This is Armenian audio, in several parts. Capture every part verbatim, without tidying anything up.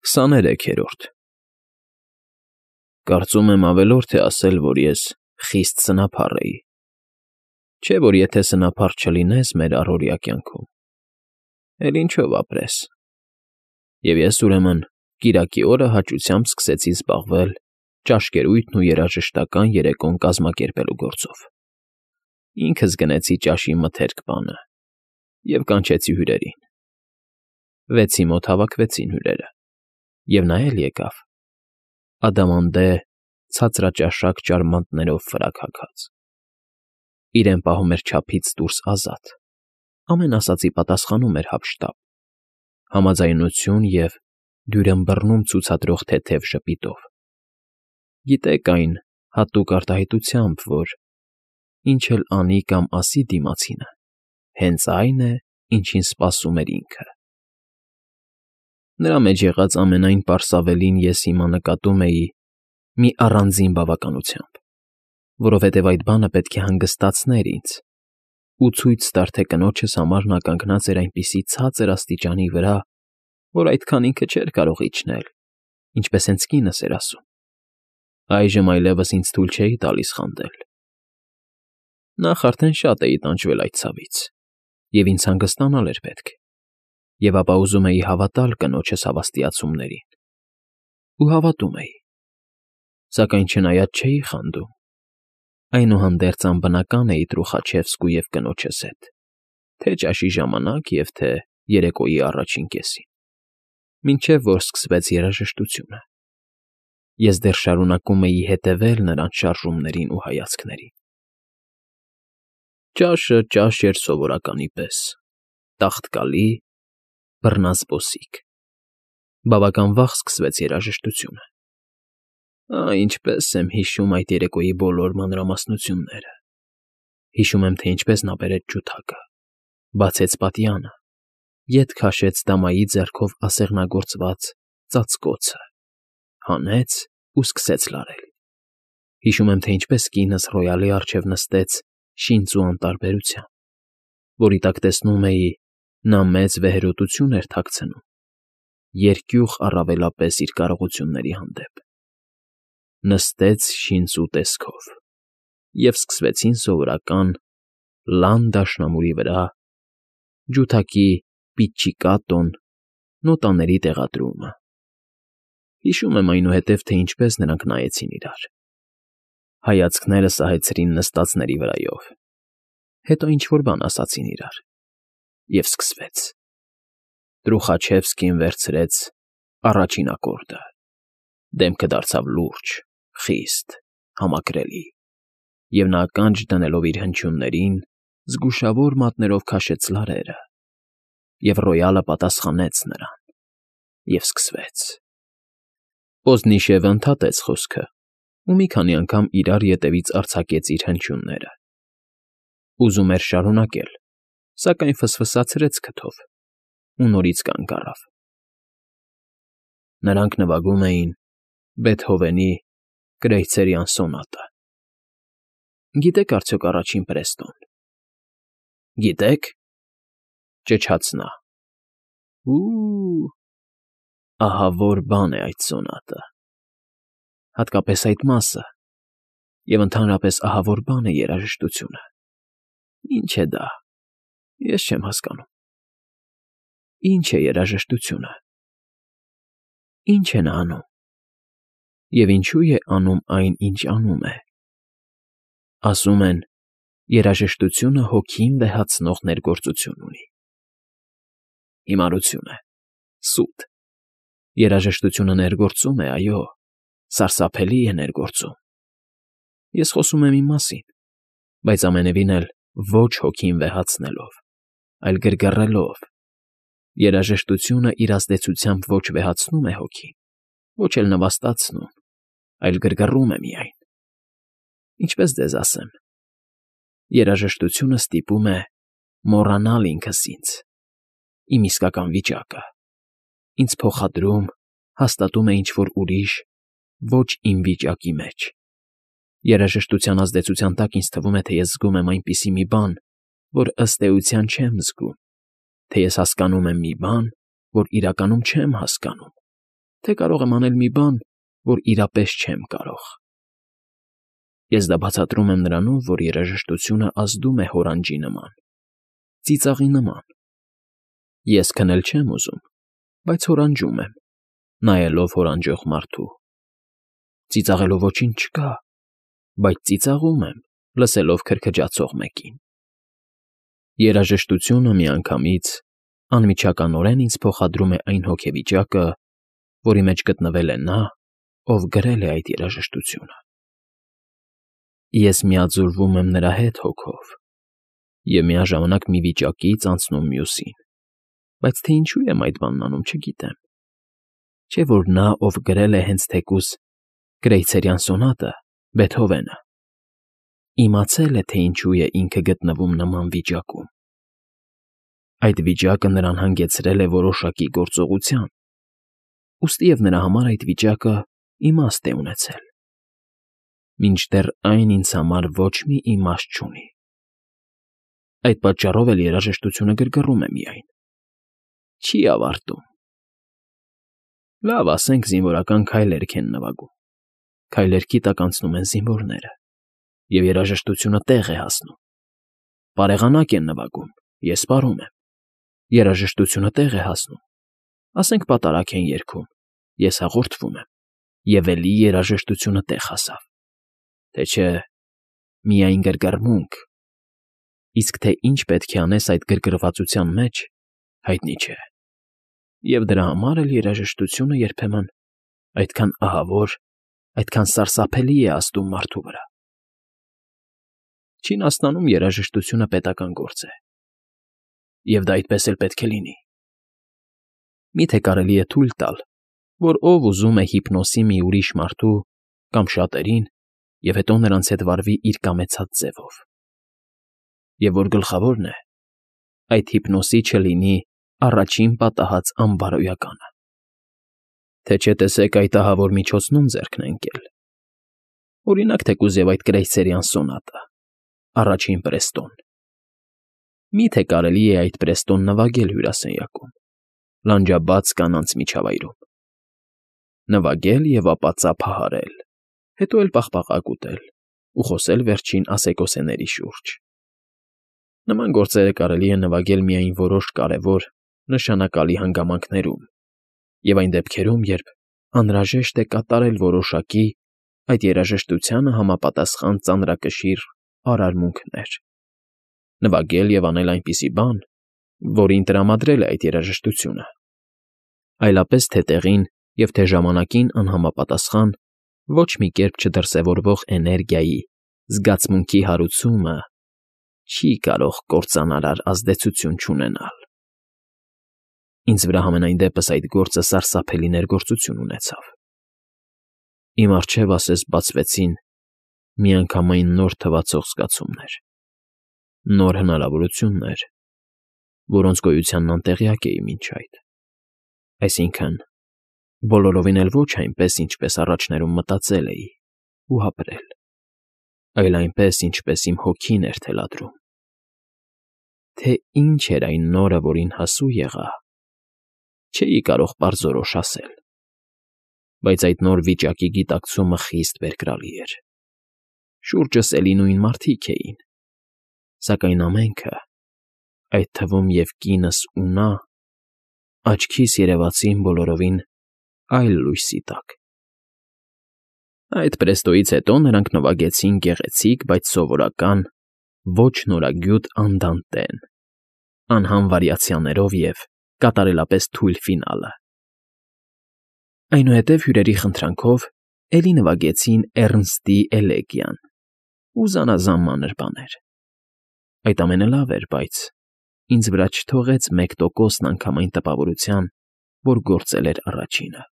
Քսաներեքերորդ Կարծում եմ ավելորդ է ասել, որ ես խիստ սնափառ էի, չէ՞ որ եթե սնափառ չլինես մեր առօրյա կյանքում, էլ ինչով ապրես, և ես, ուրեմն, կիրակի օրը հաճությամբ սկսեցի զբաղվել ճաշկերույթն ու երաժշտական երեկոն կազմակերպելու գործով. ինքս գնեցի ճաշի մթերք բանը և կանչեցի հյուրերին. վեցի մոտ հավաքվեցին հյուրերը, և նա էլ եկավ, ադամանդե ցածրաճաշակ ճարմանտներով ֆրակ հագած, իրեն պահում էր չափից դուրս ազատ, ամեն ասածի պատասխանում էր հափշտապ, համաձայնություն և դյուրըմբռնում ցուցադրող թեթև ժպիտով, գիտեք այն հատուկ արտահայտությամբ, որ ինչ էլ անի կամ ասի դիմացինը, հենց այն է, ինչին սպասում էր ինքը. նրա մեջ եղած ամենայն պարսավելին ես հիմա նկատում էի մի առանձին բավականությամբ, որովհետև այդ բանը պետք է հանգստացներ ինձ ու ցույց տար, թե կնոջս համար նա կանգնած էր այնպիսի ցածր աստիճանի վրա, որ այդքան ինքը չէր կարող իջնել, ինչպես հենց կինս էր ասում, այժմ այլևս ինձ թույլ չէի տալիս խանդել. նախ արդեն շատ էի տանջվել այդ ցավից, և ինձ հանգստանալ էր պետք, և ապա ուզում էի հավատալ կնոջս հավաստիացումներին, ու հավատում էի, սակայն չնայած չէի խանդում, այնուհանդերձ անբնական էի Տրուխաչևսկու և կնոջս հետ, թե ճաշի ժամանակ և թե երեկոյի առաջին կեսին, մինչև որ սկսվեց երաժշտությունը, ես դեռ շարունակում էի հետևել նրանց շարժումներին ու հայացքներին. ճաշը ճաշ էր սովորականի պես, տաղտկալի, բռնազբոսիկ, բավական վաղ սկսվեց երաժշտությունը, ա՜, ինչպես եմ հիշում այդ երեկոյի բոլոր մանրամասնությունները, հիշում եմ, թե ինչպես նա բերեց ջութակը, բացեց պատյանը, ետ քաշեց դամայի ձեռքով ասեղնագործված ծածկոցը, հանեց ու սկսեց լարել, հիշում եմ, թե ինչպես կինս ռոյալի առջև նստեց շինծու անտարբերությամբ, որի տակ տեսնում էի, նա մեծ վեհերոտություն էր թաքցնում, երկյուղ առավելապես իր կարողությունների հանդեպ, նստեց շինծու տեսքով, և սկսվեցին սովորական լան դաշնամուրի վրա ջութակի պիչչիկատոն նոտաների տեղադրումը, հիշում եմ այնուհետև, թե ինչպես նրանք նայեցին իրար, հայացքները սահեցրին նստածների վրայով, հետո ինչ֊որ բան ասացին իրար, և սկսվեց. Տրուխաչևսկին վերցրեց առաջին ակորդը, դեմքը դարձավ լուրջ, խիստ, համակրելի, և նա ականջ դնելով իր հնչյուններին, զգուշավոր մատներով քաշեց լարերը, և ռոյալը պատասխանեց նրան, և սկսվեց. Պոզնիշևը ընդհատեց խոսքը ու մի քանի անգամ իրար ետևից արձակեց իր հնչյունները, ուզում էր շարունակել, սակայն ֆսֆսացրեց քթով ու նորից կանգ առավ. նրանք նվագում էին Բեթհովենի Կրեյցերյան սոնատը, գիտե՞ք արդյոք առաջին Պրեստոն, գիտե՞ք, ճչաց նա, ու՜, ահա որ բան է այդ սոնատը, հատկապես այդ մասը, և ընդհանրապես ահա որ բան է երաժշտությունը, ինչ է դա, ես չեմ հասկանում, ինչ է երաժշտությունը, ինչ է նա անում, և ինչու է անում այն, ինչ անում է, ասում են, երաժշտությունը հոգին վեհացնող ներգործություն ունի, հիմարություն է, սուտ, երաժշտությունը ներգործում է, այո, սարսափելի է ներգործում, ես խոսում եմ իմ մասին, բայց ամենևին էլ ոչ հոգին վեհացնելով, այլ գրգռելով, երաժշտությունը իր ազդեցությամբ ոչ վեհացնում է հոգին, ոչ էլ նվաստացնում, այլ գրգռում է միայն, ինչպես ձեզ ասեմ, երաժշտությունը ստիպում է մոռանալ ինքս ինձ, իմ իսկական վիճակը, ինձ փոխադրում, հաստատում է ինչ֊որ ուրիշ, ոչ իմ վիճակի մեջ, երաժշտության ազդեցության տակ ինձ թվում է, թե ես զգում եմ այնպիսի մի բան, որ ըստ էության չեմ զգում, թե ես հասկանում եմ մի բան, որ իրականում չեմ հասկանում, թե կարող եմ անել մի բան, որ իրապես չեմ կարող։ Ես դա բացատրում եմ նրանով, որ երաժշտությունը ազդում է հորանջի նման, ծիծաղի նման։ Ես քնել չեմ ուզում, բայց հորանջում եմ, նայելով հորանջող մարդու։ Ծիծաղելով ոչինչ չկա, բայց ծիծաղում եմ, լսելով քրքջացող մեկին։ Երաժշտությունը միանգամից անմիջականորեն ինձ փոխադրում է այն հոգեվիճակը, որի մեջ գտնվել է նա, ով գրել է այդ երաժշտությունը։ Ես միաձուլվում եմ նրա հետ հոգով և միաժամանակ մի վիճակից անցնում մյուսին, բայց թե ինչու եմ այդ բանն անում, չգիտեմ։ Չէ՞ որ նա, ով գրել է հենց թեկուզ Կրեյցերյան սոնատը, Բեթհովենը, իմացել է, թե ինչու է ինքը գտնվում նման վիճակում։ Այդ վիճակը նրան հանգեցրել է որոշակի գործողության, ուստիև նրա համար այդ վիճակը իմաստ է ունեցել, մինչդեռ այն ինձ համար ոչ մի իմաստ չունի։ Այդ պատճառով էլ երաժշտությունը գրգռում է միայն, չի ավարտում։ Լավ, ասենք զինվորական քայլերք են նվագում, քայլերքի տակ անցնում են զինվորները, և երաժշտությունը տեղ է հասնում։ Պարեղանակ են նվագում, ես պարում եմ, երաժշտությունը տեղ է հասնում, ասենք պատարագ են երգում, ես հաղորդվում եմ, և էլի երաժշտությունը տեղ հասավ, թե չէ միայն գրգռմունք, իսկ թե ինչ պետք է անես այդ գրգռվածության մեջ, հայտնի չէ, և դրա համար էլ երաժշտությունը երբեմն այդքան ահավոր, այդքան սարսափելի է ազդում մարդու վրա։ Չինաստանում երաժշտությունը պետական գործ է, և դա այդպես էլ պետք է լինի։ Մի՞թե կարելի է թույլ տալ, որ ով ուզում է հիպնոսի մի ուրիշ մարդու կամ շատերին, և հետո նրանց հետ վարվի իր կամեցած ձևով։ Եվ որ գլխավորն է, այդ հիպնոսի չլինի առաջին պատահած անբարոյականը։ Թե չէ տեսեք այդ ահավոր միջոցնում ձեռքն է ընկել։ Օրինակ թեկուզ և այդ Կրեյցերյան սոնատը, առաջին պրեստոն։ Մի՞թե կարելի է այդ պրեստոն նվագել հյուրասենյակում, լանջաբաց կանանց միջավայրում։ Նվագել և ապա ծափահարել, հետո էլ պաղպաղակ ուտել ու խոսել վերջին ասեկոսեների շուրջ։ Նման գործերը կարելի է նվագել միայն որոշ կարևոր, նշանակալի հանգամանքներում և այն դեպքերում, երբ անհրաժեշտ է կատարել որոշակի, այդ երաժշտությանը համապատասխան ծանրակշիռ արարմունքներ, նվագել և անել այնպիսի բան, որին տրամադրել է այդ երաժշտությունը, այլապես թե տեղին և թե ժամանակին անհամապատասխան, ոչ մի կերպ չդրսևորվող էներգիայի, զգացմունքի հարուցումը չի կարող կործանարար ազդեցություն չունենալ։ Ինձ վրա համենայն դեպս այդ գործը սարսափելի ներգործություն ունեցավ։ Իմ առջև ասես բացվեցին միանգամայն նոր թվացող զգացումներ, նոր հնարավորություններ, որոնց գոյությանն անտեղյակ էի մինչ այդ, այսինքն՝ բոլորովին էլ ոչ այնպես, ինչպես առաջներում մտածել էի ու ապրել, այլ այնպես, ինչպես իմ հոգին էր թելադրում։ Թե ինչ էր այն նորը, որին հասու եղա, չէի կարող պարզորոշ ասել, բայց այդ նոր վիճակի գիտակցումը խիստ բերկրալի էր։ Շուրջս էլի նույն մարդիկ էին, սակայն ամենքը, այդ թվում և կինս ու նա, աչքիս երևացին բոլորովին այլ լույսի տակ։ Այդ պրեստոյից հետո նրանք նվագեցին գեղեցիկ, բայց սովորական, ոչ նորագյուտ անդանտեն, անհամ վարիացիաներով և կատարելապես թույլ ֆինալը։ Այնուհետև հյուրերի խնդրանքով էլի նվագեցին Էռնստի էլեգիան ու զանազան մանր բաներ։ Այդ ամենը լավ էր, բայց ինձ վրա չթողեց մեկ տոկոսն անգամ այն տպավորության, որ գործել էր առաջինը։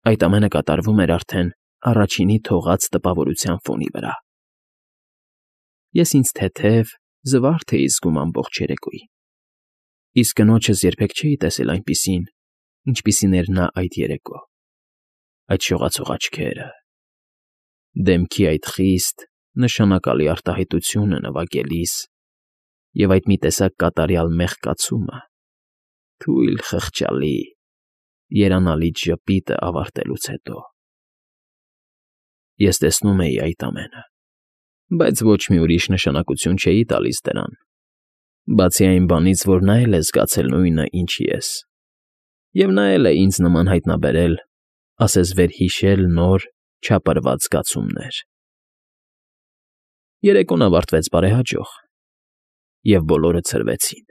Այդ ամենը կատարվում էր արդեն առաջինի թողած տպավորության ֆոնի վրա։ Ես ինձ թեթև, զվարթ էի զգում ամբողջ երեկոյին, իսկ կնոջս երբեք չէի տեսել այնպիսին, ինչպիսին էր նա այդ երեկո, այդ շողացող աչքերը, դեմքի այդ խիստ, նշանակալի արտահայտությունը նվագելիս և այդ մի տեսակ կատարյալ մեղկացումը, թույլ, խղճալի, երանալի ժպիտը ավարտելուց հետո։ Ես տեսնում էի այդ ամենը, բայց ոչ մի ուրիշ նշանակություն չէի տալիս դրան, բացի այն բանից, որ նա էլ է զգացել նույնը, ինչ ես, և նա էլ է ինձ նման հայտնաբերել, ասես վերհիշել նոր, չապրված զգացումներ։ Երեկոն ավարտվեց բարեհաջող, և բոլորը ցրվեցին։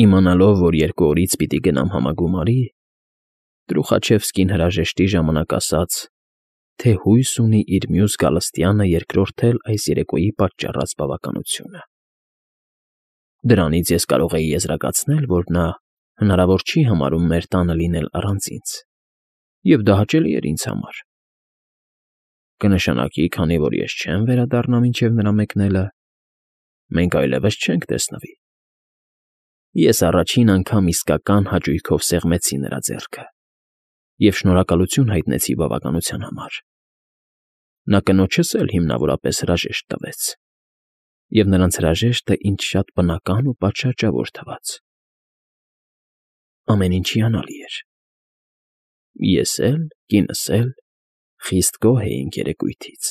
Իմանալով, որ երկու օրից պիտի գնամ համագումարի, Թրուխաչևսկին հրաժեշտի ժամանակ ասաց, թե հույս ունի իր մյուս գալստյանը երկրորդել այս երեկոյի պատճառած բավականությունը։ Դրանից ես կարող էի եզրակացնել, որ նա հնարավոր չի համարում մեր տանը լինել առանց ինձ, և դա հաճելի էր ինձ համար։ Կնշանակի, քանի որ ես չեմ վերադառնա մինչև նրա մեկնելը, մենք այլևս չենք տեսնվի։ Ես առաջին անգամ իսկական հաճույքով սեղմեցի նրա ձեռքը և շնորհակալություն հայտնեցի բավականության համար։ Նա կնոջս էլ հիմնավորապես հրաժեշտ տվեց, և նրանց հրաժեշտը ինձ շատ բնական ու պատշաճավոր թվաց։ Ամեն ինչ հիանալի էր։ Ես էլ, կինս էլ խիստ գոհ էինք երեկույթից։